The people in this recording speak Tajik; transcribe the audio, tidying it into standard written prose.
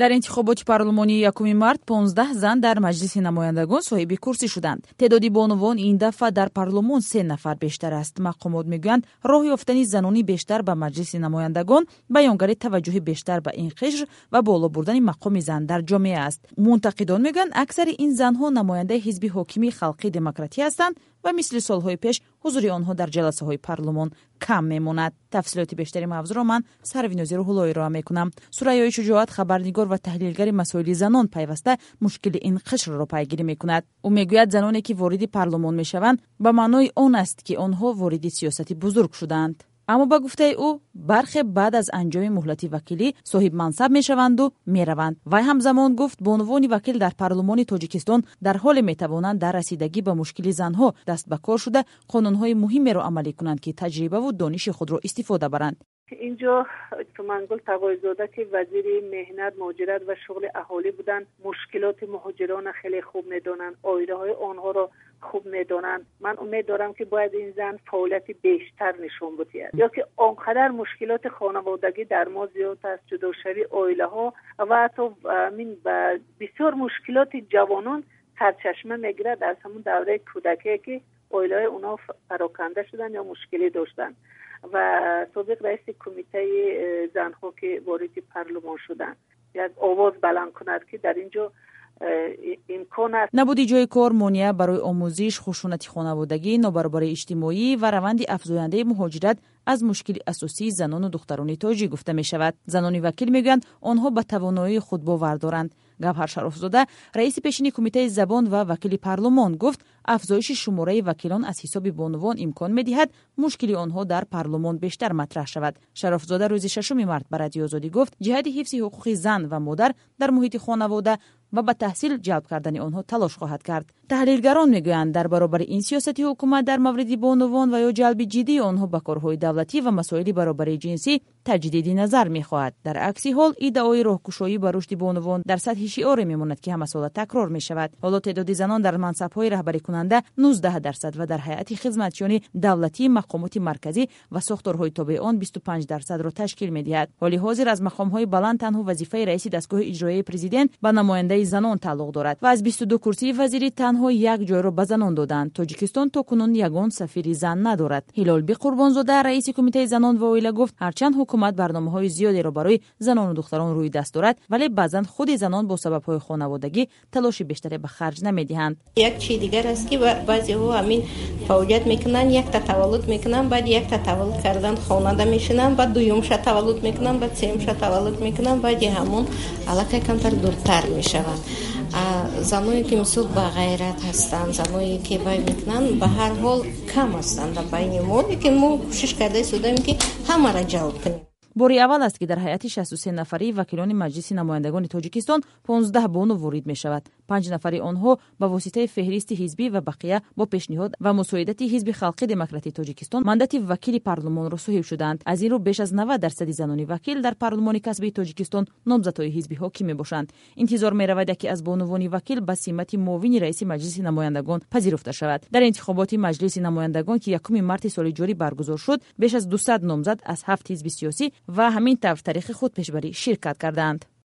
Дар интихоботи парлумонии 1 март 15 зан дар Маҷлиси намояндагон соҳиби курсӣ шуданд. Теъдоди бонувон ин дафъа дар парлумон се нафар бештар аст. Мақомот мегӯянд, роҳ ёфтани занони бештар ба Маҷлиси намояндагон баёнгари таваҷҷӯҳи бештар ба ин қишр ва боло бурдани мақоми зан дар ҷомеа аст. Мунтақидон мегӯянд, аксари ин занҳо намояндаи ҳизби ҳокими Халқи демократӣ ҳастанд ва мисли солҳои пеш ҳузури онҳо дар ҷаласаҳои парлумон кам мемонад. Тафсилоти бештари мавзӯъро ман, Сарвинози Рӯҳулло, ироа мекунам. Сурайёи Шуҷоат, хабарнигор ва таҳлилгари масоили занон, пайваста мушкили ин қишрро пайгирӣ мекунад. Ӯ мегӯяд, заноне ки вориди парлумон мешаванд, ба маънои он аст, ки онҳо вориди сиёсати бузург шудаанд. Аммо, ба гуфтаи ӯ, бархе баъд аз анҷоми муҳлати вакилӣ соҳибмансаб мешаванду мераванд. Вай ҳамзамон гуфт, бонувони вакил дар парлумони Тоҷикистон дар ҳоле метавонанд дар расидагӣ ба мушкили занҳо даст ба кор шуда, қонунҳои муҳимеро амалӣ кунанд, ки таҷрибаву дониши худро истифода баранд. Инҷо Тумангул Тағойзода, ки вазири меҳнат, муҳоҷират ва шуғли аҳолӣ буданд, мушкилоти муҳоҷирона хеле хуб медонанд, оилаҳои онҳоро хуб медонанд. Ман умед дорам, ки бояд ин зан фаъолияти бештар нишон бидиҳад, ё ки он қадар мушкилоти хонаводагӣ дар мо зиёд аст, ҷудошавии оилаҳо ва ҳатто бисёр мушкилоти ҷавонон сарчашма мегирад аз ҳамун давраи кӯдакие, ки оилаҳои онҳо пароканда шуданд ё мушкилӣ доштанд. Ва собиқ раиси кумитаи занҳо, ки вориди парлумон шуданд, як овоз баланд кунад, ки дар ин ҷо имкон аст. Набуди ҷои кор, монеа барои омӯзиш, хушунати хонаводагӣ, нобаробарии иҷтимоӣ ва раванди афзояндаи муҳоҷират аз мушкили асосии занону духтарони тоҷик гуфта мешавад. Занони вакил мегӯянд, онҳо ба тавоноии худ бовар доранд. Гавҳар Шарофзода, раиси пешини кумитаи забон ва вакили парлумон, гуфт, афзоиши шумораи вакилон аз ҳисоби бонувон имкон медиҳад мушкили онҳо дар парлумон бештар матраҳ шавад. Шарофзода рӯзи 6 март ба Радиои Озодӣ гуфт, ҷиҳати ҳифзи ҳуқуқи зан ва модар дар муҳити хонавода ва ба таҳсил ҷалб кардани онҳо талош хоҳад кард. Таҳлилгарон мегӯянд, дар баробари ин сиёсати ҳукумат дар мавриди бонувон ва ё ҷалби ҷиддии онҳо ба корҳои давлатӣ ва масоили баробарии ҷинсӣ таҷдиди назар мехоҳад. Дар акси ҳол, иддаои роҳкушоӣ ба рушди бонувон дар сатҳи шиоре мемонад, ки ҳамасола такрор мешавад. Ҳоло теъдоди занон дар мансабҳои раҳбарикунанда 19% ва дар ҳайати хизматчиёни давлатии мақомоти марказӣ ва сохторҳои тобеи он 25%-ро ташкил медиҳад. Ҳоли ҳозир аз мақомҳои баланд танҳо вазифаи раиси дастгоҳи иҷроияи президент ба намояндаи занон тааллуқ дорад ва аз 22 курсии вазирӣ танҳо як ҷойро ба занон доданд. Тоҷикистон то кунун ягон сафири зан надорад. Ҳилолбӣ Қурбонзода, раиси кумитаи занон ва оила, гуфт, ҳарчанд ҳукумат барномаҳои зиёдеро барои занону духтарон рӯи даст дорад, вале баъзан худи занон бо сабабҳои хонаводагӣ талоши бештаре ба харҷ намедиҳанд. Як чизи дигар аст, ки баъзеҳо ҳамин фаъолият мекунанд, якта таваллуд мекунанд, баъд якта таваллуд кардан хонада мешинанд, баъд дуюмша таваллуд мекунанд, баъд сеюмша таваллуд мекунанд, баъди ҳамон аллакай камтар дуртар мешаванд. Заное ки, мисол, ба ғайрат ҳастанд, заное ки вай мекунанд, ба ҳар ҳол кам ҳастанд дар байни мо, лекин мо кӯшиш карда истодаем, ки ҳамаро ҷалб кунем. Бори аввал аст, ки дар ҳайати 63 нафарии вакилони Маҷлиси намояндагони Тоҷикистон 15 бону ворид мешавад. Панҷ нафари онҳо ба воситаи феҳристи ҳизбӣ ва бақия бо пешниҳод ва мусоидати Ҳизби Халқи Демократии Тоҷикистон мандати вакили парлумонро соҳиб шуданд. Аз ин рӯ, беш аз 90% занони вакил дар парлумони касбии Тоҷикистон номзадҳои ҳизби ҳоким мебошанд. Интизор меравад, яке аз бонувони вакил ба симати муовини раиси Маҷлиси намояндагон пазируфта шавад. Дар интихоботи Маҷлиси намояндагон, ки 1 марти соли ҷорӣ баргузор шуд, беш аз 200 номзад аз ҳафт ҳизби сиёсӣ ва ҳамин тавр тариқи худпешбарӣ ширкат карданд.